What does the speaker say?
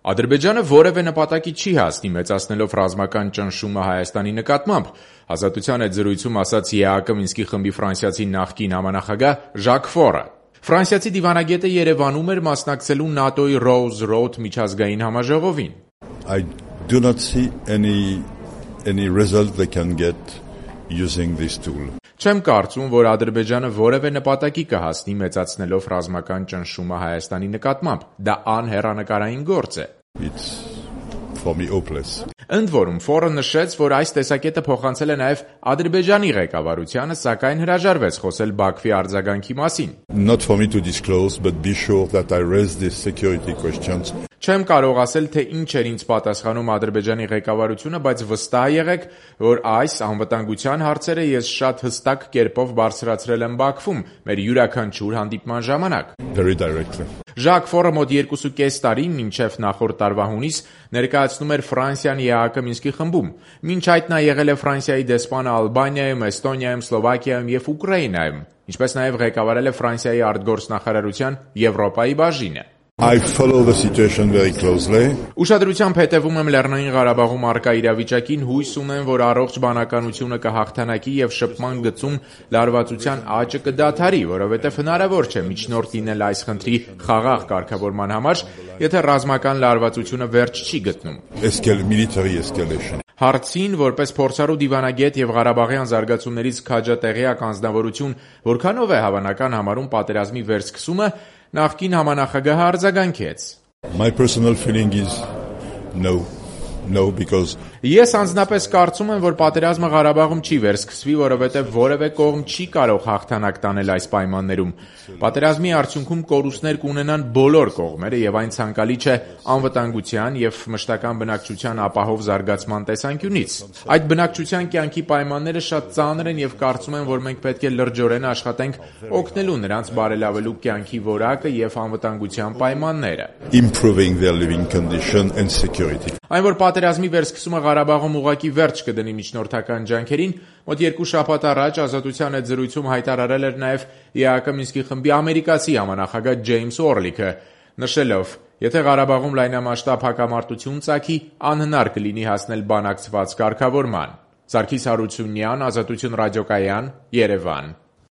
Ադրբեջանը որևէ նպատակի չի հասնի մեծացնելով ռազմական ճնշումը Հայաստանի նկատմամբ, Ազատության հետ զրույցում ասաց ԵԱԿ Մինսկի խմբի ֆրանսիացի նախկին համանախագահ Ժակ Ֆորը։ Ֆրանսիացի դիվանագետը Երևանում էր մասնակցելու ՆԱՏՕ-ի Rose Road միջազգային համաժողովին։ I do not see any result they can get using this tool. Չեմ կարծում, որ Ադրբեջանը որևէ նպատակի կհասնի մեծացնելով ռազմական ճնշումը Հայաստանի նկատմամբ։ Դա անհեռանկարային գործ է։ It's for me hopeless. Ընդ որում, Ֆորը նշեց, որ այս տեսակետը փոխանցել է նաև Ադրբեջանի ղեկավարությանը, սակայն հրաժարվեց խոսել Բաքվի արձագանքի մասին։ Not for me to disclose, but be sure that I raise these security questions. Չեմ կարող ասել, թե ինչ էր ինձ պատասխանում Ադրբեջանի ղեկավարությունը, բայց վստահ եղեք, որ այս անվտանգության հարցերը ես շատ հստակ կերպով բարձրացրել եմ Բաքվում մեր յուրաքանչյուր հանդիպման ժամանակ։ Very directly. Ժակ Ֆորը մոտ 2.5 տարի մինչև նախորդ տարվա հունիս ներկայացնում էր Ֆրանսիան ԵԱԿ Մինսկի խմբում։ Մինչ այդ նա եղել է Ֆրանսիայի դեսպանը Ալբանիայում, Էստոնիայում, Սլովակիայում և Ուկրաինայում, ինչպես նաև ղեկավարել է Ֆրանսիայի արտգործնախարարության Եվրոպայի բաժինը։ I follow the situation very closely. Ուշադրությամբ հետևում եմ Լեռնային Ղարաբաղում առկա իրավիճակին, հույս ունեմ, որ առողջ բանականությունը կհաղթանակի և շփման գծում լարվածության աճը կդադարի, որովհետև հնարավոր չէ միջնորդ լինել այս խնդրի խաղաղ կարգավորման համար, եթե ռազմական լարվածությունը վերջ չի գտնում։ Military escalation. Հարցին, որպես փորձառու դիվանագետ և Ղարաբաղյան զարգացումներից քաջատեղյակ անձնավորություն, որքանով է հավանական համարում պատերազմի վերսկսումը, նախկին համանախագահը արձագանքեց. My personal feeling is no, because Ես անձնապես կարծում եմ, որ պատերազմը Ղարաբաղում չի վերսկսվի, որովհետև որևէ կողմ չի կարող հաղթանակ տանել այս պայմաններում։ Պատերազմի արդյունքում կորուստներ կունենան բոլոր կողմերը և այն ցանկալի չէ անվտանգության և մշտական բնակչության ապահով զարգացման տեսանկյունից։ Այդ բնակչության կյանքի պայմանները շատ ծանր են և կարծում եմ, որ մենք պետք է լրջորեն աշխատենք օգնելու նրանց բարելավելու կյանքի որակը և անվտանգության պայմանները։ improving their living condition and security. Այն, որ պատերազմի վերսկսումը Ղարաբաղում ուղղակի վերջ կդնի միջնորդական ջանքերին, մոտ 2 շաբաթ առաջ Ազատության հետ զրույցում հայտարարել էր նաև ԵԱԿ Մինսկի խմբի ամերիկացի համանախագահ Ջեյմս Օրլիքը, նշելով. Եթե Ղարաբաղում լայնամասշտաբ հակամարտություն ծագի, անհնար կլինի հասնել բանակցված կարգավորման։ Սարգիս Հարությունյան, Ազատություն ռադիոկայան, Երևան։